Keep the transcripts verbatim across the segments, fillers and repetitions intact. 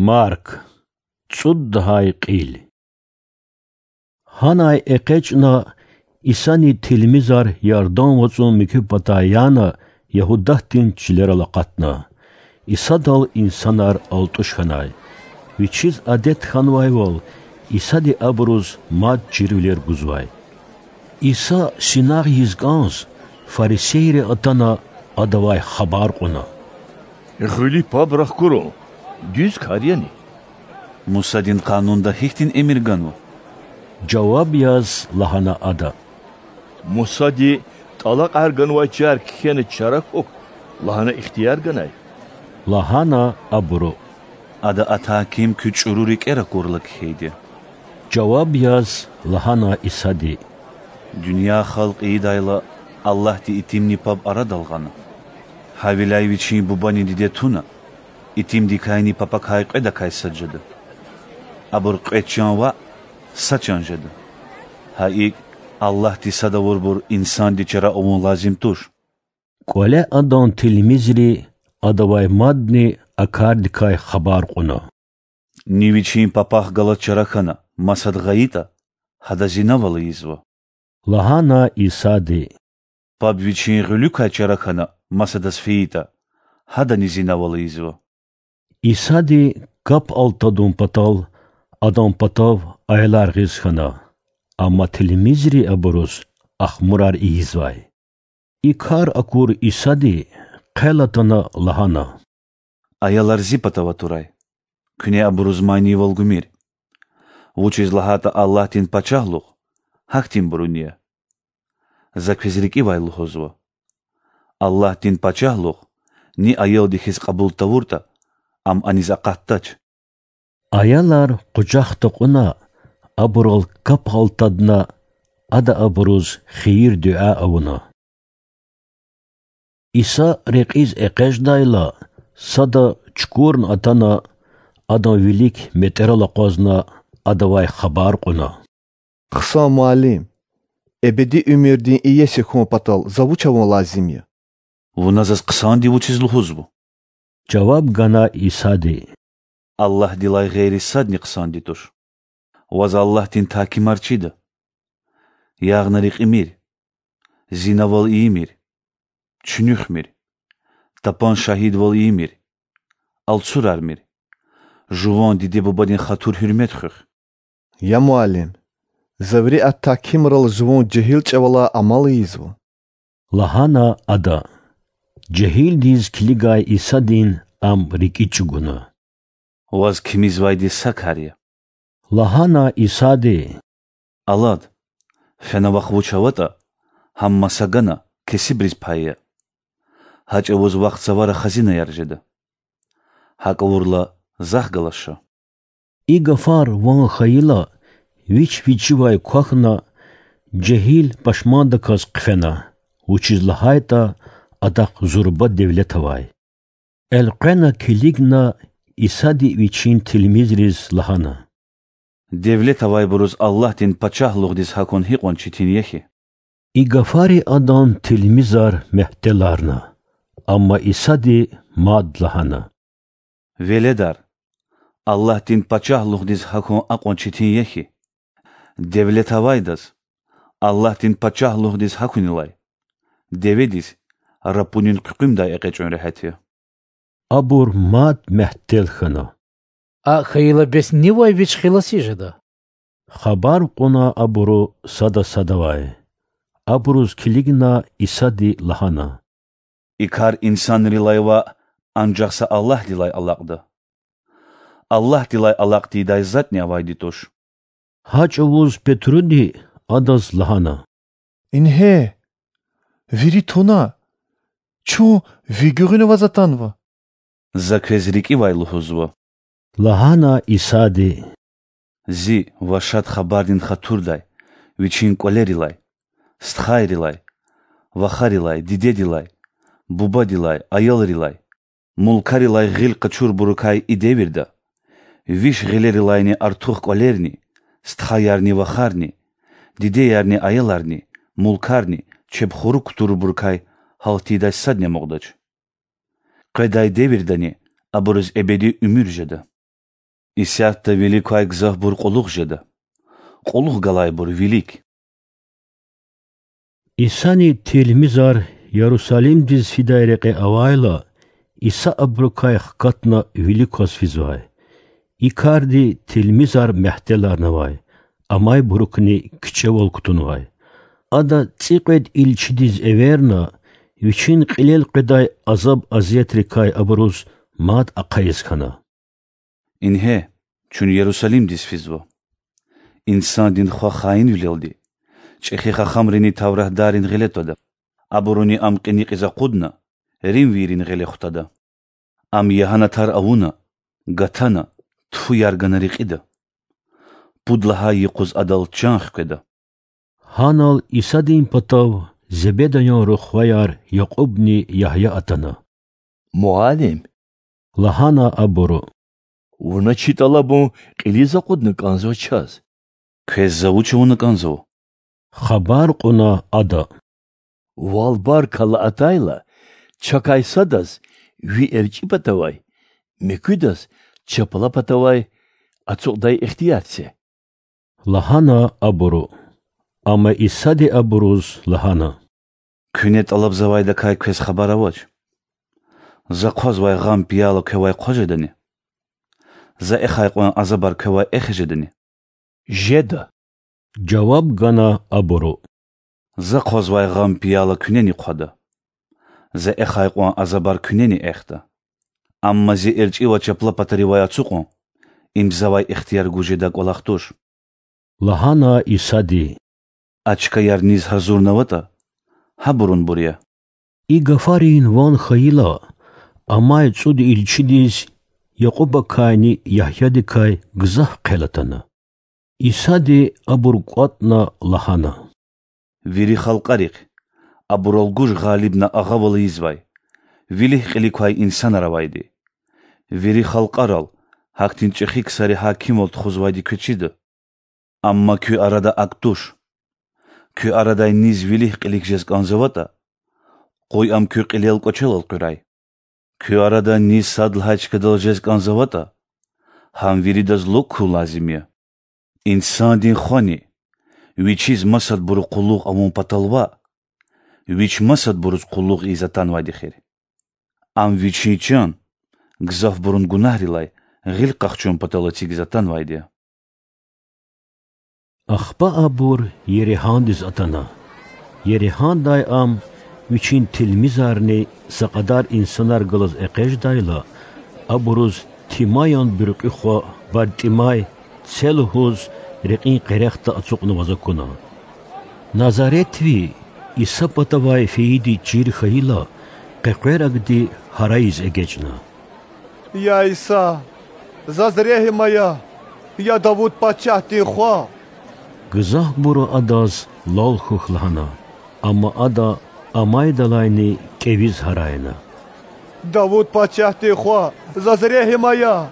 Марк, цӀуд лагьай кьил. Гьанай экъечӀна, Исани тилмизар Ярдан вацӀун муькуь патай яна, Ягьудатдин чилерал акъатна. Исадал инсанар алтӀуш хьанай. Вичиз адет хьанвайвал, Исади абуруз мад чирвилер гузвай. Иса синагъ ийиз кӀанз, фарисейри атана, Адавай хабар кьуна: Гъуьлуь паб рахкурун дуьз кар яни? Мусадин Къанунда гьихьтин эмир ганва? жаваб яз лагьана ада. Мусади тӀалакьар ганвай чар кхьена чара хьухь лагьана ихтияр ганай,– лагьана абуру. Ада атай ким куь чӀуру рикӀер акурла кхьейди,– жаваб яз лагьана Исади. Дуьнья халкь ийидайла Аллагьди итимни паб арадал гъана. Гьавиляй Вичин бубани диде туна, итимдикайни папакай кьведакай сад жеда. Абур кьве чан ваъ, са чан жеда. Гьа икӀ, Аллагьди сад авурбур инсанди чара авун лазим туш. КӀвале Адан тилмизри Адавай мадни а кардикай хабар кьуна. Ни вичин папахъ галаз чара хьана масад гъайитӀа, гьадаз зинав ала ийизва,– лагьана Исади. Паб вичин гъуьлуькай чара хьана масадаз фейитӀа, гьадани зинав ала ийизва. Исади кап алтадун патал Адан патав аялар гъиз хьана, амма тилмизри абуруз ахмурар ийизвай. И кар акур Исади, хъел атана, лагьана: Аялар Зи патав атурай, куьне абуруз манийвал гумир. Вучиз лагьайтӀа Аллагьдин пачагьлугъ гьахьтинбурун я. За квез рикӀивай лугьузва: Аллагьдин пачагьлугъ ни аялди хьиз кьабул тавуртӀа, ам аниз акъатдач. Аялар къужахда кьуна, абурал кап алтадна, Ада абуруз хийир-дуьа авуна. Иса рекьиз экъечӀдайла, сада чукурна атана, Адан вилик метӀерал акъвазна, Адавай хабар кьуна: Хъсан Муаллим! Эбеди уьмуьрдин иеси хьун патал За вуч авун лазим я? Вуна Заз хъсанди вучиз лугьузва? жаваб гана Исади. Аллагьдилай гъейри садни хъсанди туш. Ваз Аллагьдин тагькимар чида: ягъна рекьимир, зинавал ийимир, чуьнуьхмир, тапан шагьидвал ийимир, алцурармир, жуван диде-бубадин хатур-гьуьрмет хуьх. Я Муаллим! За вири а тагькимрал жуван жегьил чӀавалай амал ийизва,– лагьана ада. Жегьилдиз килигай Исадин ам рикӀи чӀугуна. Ваз кимизвайди са кар я,– лагьана Исади. Алад, фена вахъ вуч аватӀа, гьам маса гана, кесибриз пай ая. Гьа чӀавуз вахъ цавара хазинаяр жеда. ГьакӀ авурла, Захъ галаз ша. И гафар ван хьайила, вич вичивай квахьна, жегьил пашмандаказ хъфена, вучиз лагьайтӀа адахъ зурба девлет авай. Элкъвена килигна, Исади Вичин тилмизриз лагьана: Девлет авайбуруз Аллагьдин пачагьлугъдиз гьахьун гьикьван четин я хьи! И гафари Адан тилмизар мягьтеларна, амма Исади мад лагьана: Веледар, Аллагьдин пачагьлугъдиз гьахьун акьван четин я хьи! Девлет авайдаз Аллагьдин пачагьлугъдиз гьахьунилай деведиз рапунин хъуькъуьмдай экъечӀун регьят я. Абур мад мягьтел хьана. АкӀ хьайила, бес нивай вич хиласи жеда? хабар кьуна абуру сада садавай. Абуруз килигна Исади лагьана: И кар инсанрилай ваъ, анжах са Аллагьдилай алакьда. Аллагьдилай алакь тийидай затӀни авайди туш. Гьа чӀавуз Петруди Адаз лагьана: Ингье, вири туна, чун Ви гуьгъуьна ваз атанва. За квез рикӀивай лугьузва,– лагьана Исади,– Зи ва Шад Хабардин хатурдай Вичин кӀвалерилай, стхайрилай, вахарилай, дидедилай, бубадилай, аялрилай, мулкарилай гъил къачурбурукай и девирда, виш гъилерилайни артух кӀвалерни, стхаярни вахарни, дидеярни аяларни, мулкарни чеб хурук кутурбурукай гьалт тийидай садни амукьдач. Къведай девирдани абуруз эбеди уьмуьр жеда. Исятда вилик квай гзафбур кьулухъ жеда, кьулухъ галайбур вилик. Исани тилмизар Ярусалимдиз фидай рекье авайла, Иса абурукай хкатна вилик кваз физвай. И карди тилмизар мягьтеларнавай, амайбурукни кичӀевал кутунвай. Ада цӀикьвед илчидиз эверна, вичин кьилел къведай азаб-азиятрикай абуруз мад ахъайиз хьана: Ингье, чун Ярусалимдиз физва. Инсандин Хва хаинвилелди, чӀехи хахамрини тавратдаррин гъиле твада. Абуруни Ам кьиникьиз акъудна, римвийрин гъиле хутада. Ам ягьанатар авуна, гатана, тфуяр гана рекьида. Пуд лагьай юкъуз Адал чан хкведа. Гьанал Исадин патав Зебедаян рухваяр Якьубни Ягья атана. Муаллим,– лагьана абуру,– вуна чи тӀалабун кьилиз акъудна кӀанзава чаз. Квез За вуч авуна кӀанзава? хабар кьуна ада. Вал бар кала атайла, чакай садаз ви эрчӀи патавай, муькуьдаз чапла патавай ацукьдай ихтияр це,– лагьана абуру. Амма Исади абуруз лагьана: Куьне тӀалабзавайдакай квез хабар авач. За хъвазвай гъам пияла квевай хъваз жедани? За эхай кьван азабар квевай эхиз жедани? Жеда,– жаваб гана абуру. За хъвазвай гъам пияла куьнени хъвада. За эхай кьван азабар куьнени эхда. Амма Зи эрчӀи ва чапла патаривай ацукьун– им Завай ихтияр гуз жедай кӀвалах туш,– лагьана Исади. А чкаяр низ гьазурнаватӀа, гьабурунбур я. И гафарин ван хьайила, амай цӀуд илчидиз Якьубакайни Ягьядикай гзаф хъел атана. Исади абур кӀватӀна лагьана: Вири халкьарихъ, абурал гуж гъалибна агъавал ийизвай, вилик-кьилик квай инсанар авайди. Вири халкьарал гьахьтин чӀехи ксари гьакимвал тухузвайди квез чида. Амма куь арада акӀ туш. Куь арадай низ вилик-кьилик жез кӀанзаватӀа, къуй ам куь кьилел кӀвачелал къуьрай. Куь арадай низ сад лагьай чкадал жез кӀанзаватӀа, гьам виридаз лукӀ хьун лазим я. Инсандин Хвани Вичиз масадбуру къуллугъ авун патал ваъ, Вич масадбуруз къуллугъ ийиз атанвайди эхир. Ам Вичин чан гзафбурун гунагьрилай гъил къахчун патал эцигиз атанвайди я. Ахпа абур Еригьандиз атана. Еригьандай ам, вичин тилмизарни са кьадар инсанар галаз экъечӀдайла, абуруз Тимаян буьркьуь хва БартӀимай це лугьуз рекьин къерехда ацукьнаваз акуна. Назаретви Иса патавай фейиди чир хьайила, къекъверагди гьарайиз эгечӀна: Я Иса, заз регьим ая, я Давуд пачагьдин Хва! Гзафбуру Адаз лал хьухь лагьана, амма Ада амайдалайни кӀевиз гьарайна: Давуд пачагьдин Хва, заз регьим ая!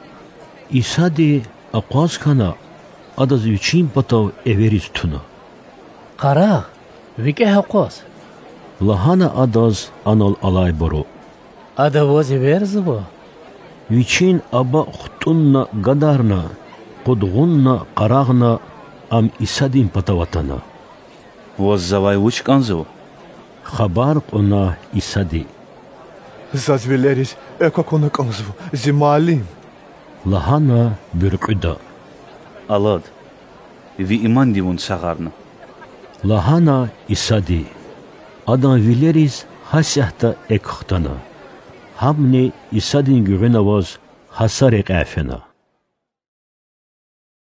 Исади акъваз хьана, Адаз Вичин патав эвериз туна. Къарагъ, викӀегь акъваз,– лагьана Адаз анал алайбуру. Ада Ваз эверзава. Вичин аба хтӀунна гадарна, къудгъунна къарагъна, Ам Исадин патав атана. Ваз Завай вуч кӀанзава? хабар кьуна Исади. Заз вилериз экв акуна кӀанзава, зи Муаллим,– лагьана буьркьуьда. Алад, ви иманди вун сагъарна,– лагьана Исади. Адан вилериз гьасятда экв хтана. Гьамни Исадин гуьгъуьна аваз гьа са рекьяй фена.